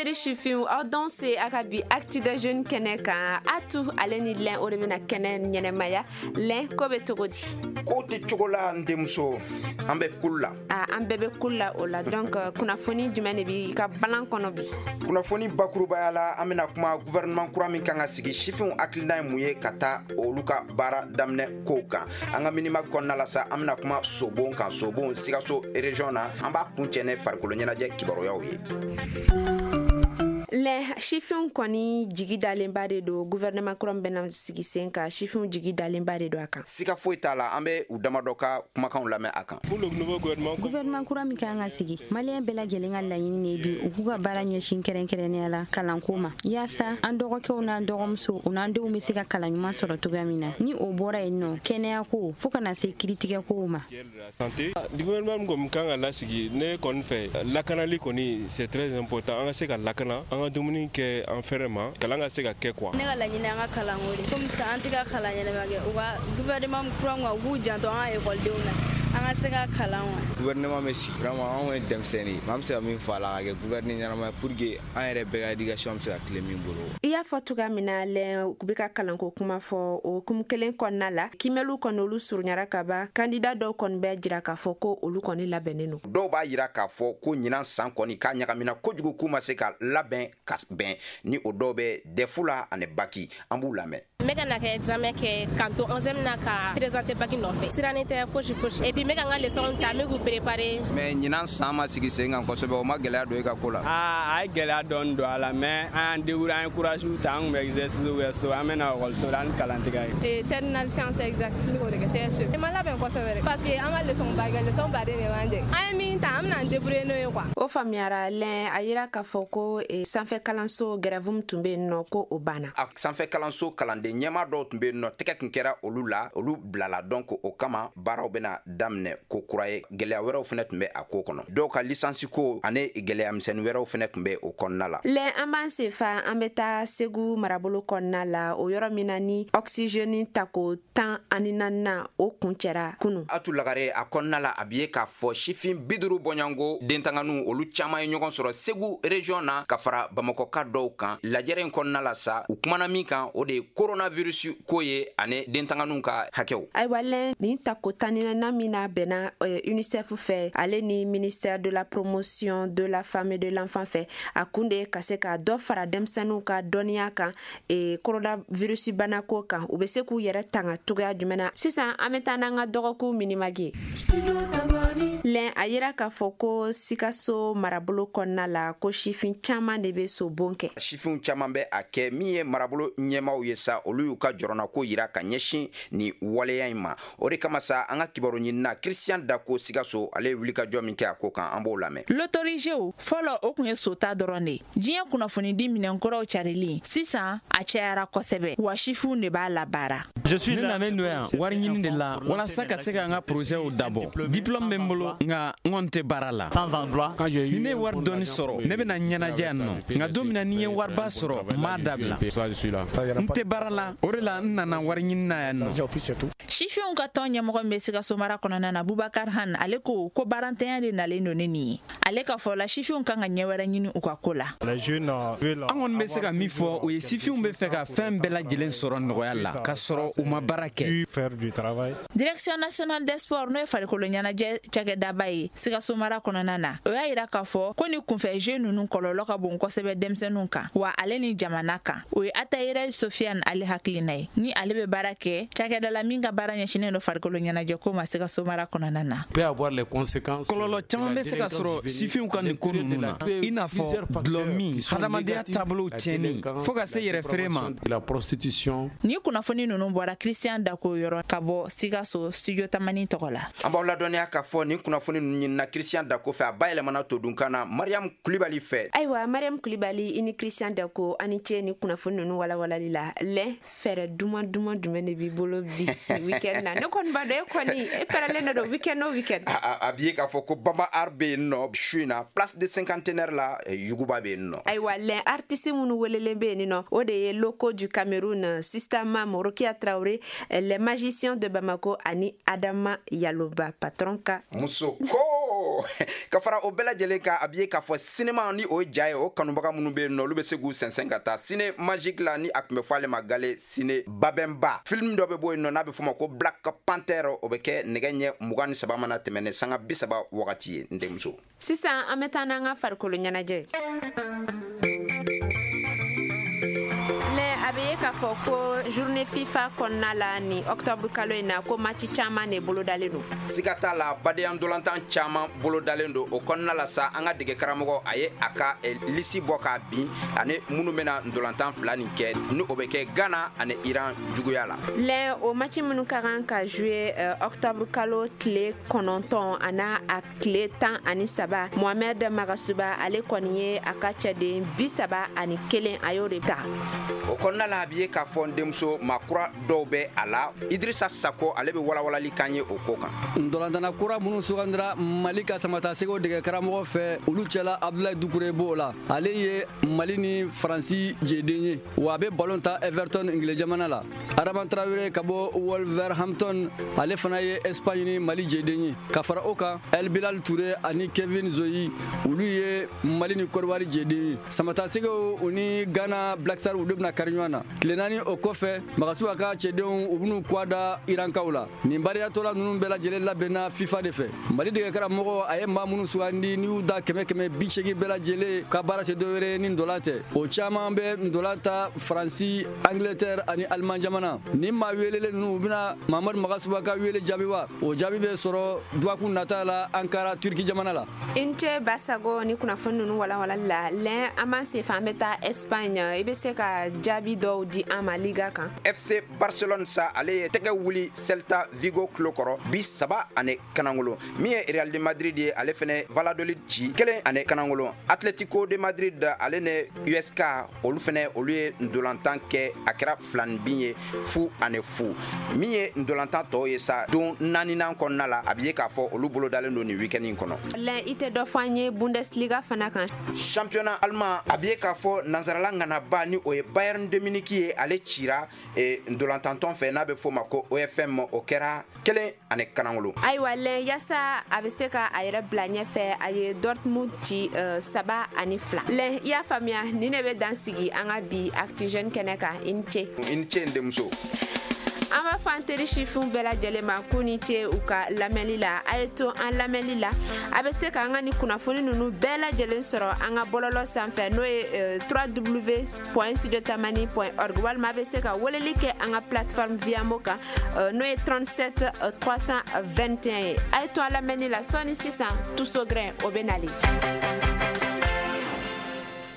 Seri sifinw, aw danse a ka bi Actu des jeunes kɛnɛ kan. Atu, ale ni Lɛn, o de bɛna kɛnɛ ɲɛnɛmaya. Lɛn, ko bɛ cogo di? Ko tɛ cogo la, n denmuso, an bɛ kulu la. A, an bɛɛ bɛ kulu la o la. Donc kunnafoni jumɛn de b'i ka balan kɔnɔ bi? Kunnafoni bakurubaya la, an bɛna kuma gouvernement kura min kan ka sigi, sifinw hakilina ye mun ye ka taa olu ka baara daminɛ kow kan. An ka minima kɔnɔna la sa, an bɛna kuma sobon kan, sobon Sikaso région na. An b'a kuncɛ ne farikolo ɲɛnajɛ kibaruyaw ye. Lɛ, sifinw kɔni jigi dalenba de don gouvernement kura min bɛna sigi sen kan. Sifinw jigi dalenba de don a kan. Siga foyi t'a la, an bɛ u damadɔ ka kumakanw lamɛn a kan. Gouvernement kura min kan ka sigi, Maliyɛn bɛɛ lajɛlen ka laɲini de bi u k'u ka baara ɲɛsin kɛrɛnkɛrɛnnenya la kalanko ma, yaasa an dɔgɔkɛw n'an dɔgɔmusow, u n'an denw bɛ se ka kalan ɲuman sɔrɔ cogoya min na. Ni o bɔra yen nɔ, kɛnɛyako, fo ka na se kiritigɛkow ma. Santé, gouvernement min kɔni kan ka lasigi, ne kɔni fɛ, lakanali kɔni, c'est très important. An ka se ka lakana, an ka dumuni kɛ an fɛrɛ ma, kalan ka se ka kɛ quoi. Ne ka laɲini, an ka kalanko de. Komi sisan an tɛ ka kalan ɲɛnama kɛ, u ka gouvernement kura min, u k'u janto an ka ekɔlidenw na, an ka se ka kalan wa. Gouvernement bɛ sigi, vraiment anw ye denmisɛnnin ye, an bɛ se ka min fɔ a la, ka kɛ gouvernement ɲɛnama ye pour que an yɛrɛ bɛɛ ka éducation bɛ se ka tile min bolo. I y'a fɔ cogoya min na, Lɛn, u bɛ ka kalanko kuma fɔ, o hukumu kelen kɔnɔna la, kimɛliw kɔni, olu surunyara ka ban. Kandida dɔw kɔni bɛ jira k'a fɔ ko olu kɔni labɛnnen don. Dɔw b'a yira k'a fɔ ko ɲinan san kɔni k'a ɲagamina kojugu, k'u ma se ka labɛn ka bɛn. Ni o dɔw bɛ DEF la ani bac, an b'u lamɛn. N bɛ ka na kɛ examen kɛ k'an to 11 na ka présenter bac nɔfɛ. Sirannen tɛ fosi fosi. Et puis n bɛ ka n ka leçon ta, n bɛ k'u préparer. Mais ɲinan san ma sigi sen kan kosɛbɛ, o ma gɛlɛya don e ka ko la? Aa, a ye gɛlɛya dɔɔni don a la, mais an y'an débrouiller, an ye courage ta, an tun bɛ exercice kɛ so, an bɛ na ekɔliso la ni kalan tɛ ka ye. Terminale science exacte, n bɛ k'o de kɛ TSE. N ma labɛn kosɛbɛ dɛ, parce que an ma leçon ba kɛ, leçon baden de b'an jɛ. An ye min ta, an bɛna an débrouiller n'o ye quoi. O faamuyara, Lɛn. A yira k'a fɔ ko sanfɛ kalanso grève min tun bɛ yen nɔ, ko o banna. A sanfɛ kalanso kalanden ɲɛmaa dɔw tun bɛ yen nɔ, tɛgɛ tun kɛra olu la, olu bilala. Donc o kama baaraw bɛna daminɛ ko kura ye. Gɛlɛya wɛrɛw fana tun bɛ a ko kɔnɔ, dɔw ka licence ko ani gɛlɛya misɛnnin wɛrɛw fana tun bɛ o kɔnɔna la. Lɛn, an b'an senfa, an bɛ taa Segu marabolo kɔnɔna la, o yɔrɔ min na ni oxygène tako 14nan, o kuncɛra kunu. Atu Lagare, a kɔnɔna la, a bi ye k'a fɔ sifin 50 bɔɲɔgɔnko dentanganiw, olu caman ye ɲɔgɔn sɔrɔ Segu région na ka fara Bamakɔka dɔw kan. Lajɛrɛ in kɔnɔna la sa, u kumana min kan, o de ye coronavirus ko ye ani dentanganiw ka hakɛw. Ayiwa Lɛn, nin tako 14nan min na bɛnna UNICEF fɛ, ale ni ministère de la Promotion de la femme et de l'enfant fɛ, a kun de ye ka se ka dɔ fara denmisɛnninw ka dɔnniya kan coronavirus banako kan, u bɛ se k'u yɛrɛ tanga cogoya jumɛn na. Sisan an bɛ taa n'an ka dɔgɔkun minimag ye. Lɛn, a yira k'a fɔ ko Sikaso marabolo kɔnɔna la, ko sifin caman de bɛ sobon kɛ. Sifinw caman bɛ a kɛ. Min ye marabolo ɲɛmaaw ye sa, olu y'u ka jɔrɔnako yira ka ɲɛsin ni waleya in ma. O de kama sa, an ka kibaru ɲinina Christian Dako Sikaso, ale ye wulikajɔ min kɛ a ko kan, an b'o lamɛn. Loterie jeu fɔlɔ, o tun ye sota dɔrɔn de ye. Diɲɛ kunnafonidi minɛnkɔrɔw carili sisan, a cayara kosɛbɛ, wa sifinw de b'a labaara. Ne nanen don yan wari ɲini de la walasa ka se ka n ka projetw dabɔ. Diplôme bɛ n bolo, nka n kɔni tɛ baara la. Ni ne ye wari dɔɔni sɔrɔ, ne bɛna ɲɛnajɛ yan nɔ, nka don min na ni n ye wariba sɔrɔ, n b'a dabila. N tɛ baara la, o de la n nana wari ɲini na yan nɔ. Sifinw ka tɔn ɲɛmɔgɔ min bɛ Sikaso mara kɔnɔna na, Bubakar Han, ale ko ko baarantanya de nalen don ne nin ye. Ale ka fɔ la, sifinw kan ka ɲɛ wɛrɛ ɲini u ka ko la. An kɔni bɛ se ka min fɔ, o ye sifinw bɛ fɛ ka fɛn bɛɛ lajɛlen sɔrɔ nɔgɔya la ka sɔrɔ u ma baara kɛ. Direction nationale des sports, n'o ye farikolo ɲɛnajɛ cakɛdaba ye Sikaso mara kɔnɔna na, o y'a yira k'a fɔ ko ni kunfɛ jeu ninnu kɔlɔlɔ ka bon kosɛbɛ denmisɛnninw kan, wa ale ni jamana kan. O ye Atayɛrɛ Sofiane ale hakilina ye, ni ale bɛ baara kɛ cakɛda la min ka baara ɲɛsinnen don farikolo ɲɛnajɛ ko ma Sikaso mara kɔnɔna na. Kɔlɔlɔ caman bɛ se ka sɔrɔ sifinw ka nin ko ninnu na, i n'a fɔ dɔlɔ min, hadamadenya taabolow tiɲɛni, fo ka se yɛrɛ feere ma. Ni kunnafoni ninnu bɔra Christian Dako yɔrɔ ka bɔ Sikaso, Studio Tamani tɔgɔ la. An b'aw ladɔnniya k'a fɔ nin kunnafoni ninnu ɲinina Christian Dako fɛ, a bayɛlɛmana todunkan na Mariam Kulibali fɛ. Ayiwa Mariam Kulibali, i ni Christian Dako, ani ce ni kunnafoni ninnu walawalali la. Lɛ, fɛɛrɛ duman duman jumɛn de b'i bolo bi weekend na? Ne kɔni b'a dɔn e kɔni e pɛrɛlen de don weekend o weekend. A bi ye k'a fɔ ko Bamba Art bɛ yen nɔ su in na, place de Cinquantenaire la, yuguba bɛ yen nɔ. Ayiwa Lɛ, artiste minnu welelen bɛ yen nɔ, o de ye Locaux du Cameroun, Sista Mam, Rokia Traoré, les magiciens de Bamako ani Adama Yaloba, patron ka muso. Denmuso ko ka fara o bɛɛ lajɛlen kan, a bɛ ye k'a fɔ sinema ni o ye ja ye, o kanubaga minnu bɛ yen nɔ, olu bɛ se k'u sɛnsɛn ka taa Ciné Magique la, ni a tun bɛ fɔ ale ma gale Ciné Babɛnba. Film dɔ bɛ bɔ yen nɔ n'a bɛ fɔ o ma ko Black Panther, o bɛ kɛ nɛgɛ ɲɛ 23 mana tɛmɛ ni sanga 30 wagati ye, n denmuso. Sisan an bɛ taa n'an ka farikolo ɲɛnajɛ. A bɛ ye k'a fɔ ko journée FIFA kɔnɔna la ni octobre kalo in na, ko match caman de bolodalen don. Siga t'a la, badenya ntolantan caman bolodalen don. O kɔnɔna la sa, an ka dege karamɔgɔ a ye a ka liste bɔ k'a bin ani minnu bɛna ntolantan fila nin kɛ, ni o bɛ kɛ Ghana ani Iran juguya la. Lɛ, o match minnu ka kan ka jouer octobre kalo tile 9 ani a tile 13, Mohamed Magasuba ale kɔni ye a ka cɛden 31, a y'o de ta. O kɔnɔna la, a bɛ ye k'a fɔ n denmuso, maa kura dɔw bɛ a la. Idrissa Sako, ale bɛ walawalali kan ye o ko kan. Ntolantana kura minnu sugandira Mali ka samata sɛgɛw dege karamɔgɔ fɛ, olu cɛla Abdoulaye Doucouré b'o la. Ale ye Mali ni Faransi jeden ye, wa a bɛ ballon ta Everton Ingile jamana la. Adama Traoré ka bɔ Wolverhampton, ale fana ye Espagne ni Mali jeden ye. Ka fara o kan, El Bilal Touré ani Kevin Zoyi, olu ye Mali ni Côte d'Ivoire jeden ye. Samata sɛgɛw u ni Ghana Black Stars, olu bɛna kari ɲɔgɔn na. Tile 4 o kɔfɛ, Magasuba ka cɛdenw u bɛn'u kɔ da Irankaw la. Nin bariyatɔla ninnu bɛɛ lajɛlen labɛnna FIFA de fɛ. Mali dege karamɔgɔ a ye maa minnu sugandi, n'i y'u da 100 180 bɛɛ lajɛlen ka baara tɛ dɔwɛrɛ ni ndola tɛ. O caman bɛ ndola ta Faransi, Angleterre ani Allemagne jamana. Ni maa welelen ninnu, u bɛna Mamadu Magasuba ka wele jaabi wa? O jaabi bɛ sɔrɔ dɔgɔkun nata la Ankara, Turki jamana la. I ni ce Basago ni kunnafoni ninnu walawalali la. Lɛn, an b'an sen fɛ, an bɛ taa Espagne. I bɛ se ka jaabi dɔw di an ma Liga kan? FC Barcelone sa, ale ye tɛgɛ wuli Celta Vigo tulo kɔrɔ 3-1. Min ye Real de Madrid ye, ale fɛnɛ Valladolid ci 1-1. Atletico de Madrid ale ni USK, olu fɛnɛ olu ye ndolantan kɛ, a kɛra 2 bin ye, 0-0. Min ye ndolantan tɔw ye sa, don naaninan kɔnɔna la, a bɛ ye k'a fɔ olu bolo dalen don nin week-end in kɔnɔ. Lɛn, i tɛ dɔ fɔ an ye Bundesliga fana kan? Championnat allemand, a bɛ ye k'a fɔ nansarala ŋanaba ni o ye Bayern de Munich ye, ale cira ntolantantɔn fɛ n'a bɛ f'o ma ko OFM, o kɛra 1-1. Ayiwa Lɛn, yaasa a bɛ se ka a yɛrɛ bila ɲɛfɛ, a ye Dortmund ci 3-2. Lɛn, i y'a faamuya, nin de bɛ dan sigi an ka bi Actu Jeune kɛnɛ kan. I ni ce. I ni ce, n denmuso. An b'a fɔ an teri sifinw bɛɛ lajɛlen ma k'u ni ce u ka lamɛnli la. A ye to an lamɛnli la, a bɛ se k'an ka ni kunnafoni ninnu bɛɛ lajɛlen sɔrɔ an ka bɔlɔlɔ sanfɛ, n'o ye www.studiotamani.org, walima a bɛ se ka weleli kɛ an ka plateforme Viamo kan, n'o ye 37 321 ye. A ye to an lamɛnni la, sɔɔni sisan Tuso Grain o bɛ nalen.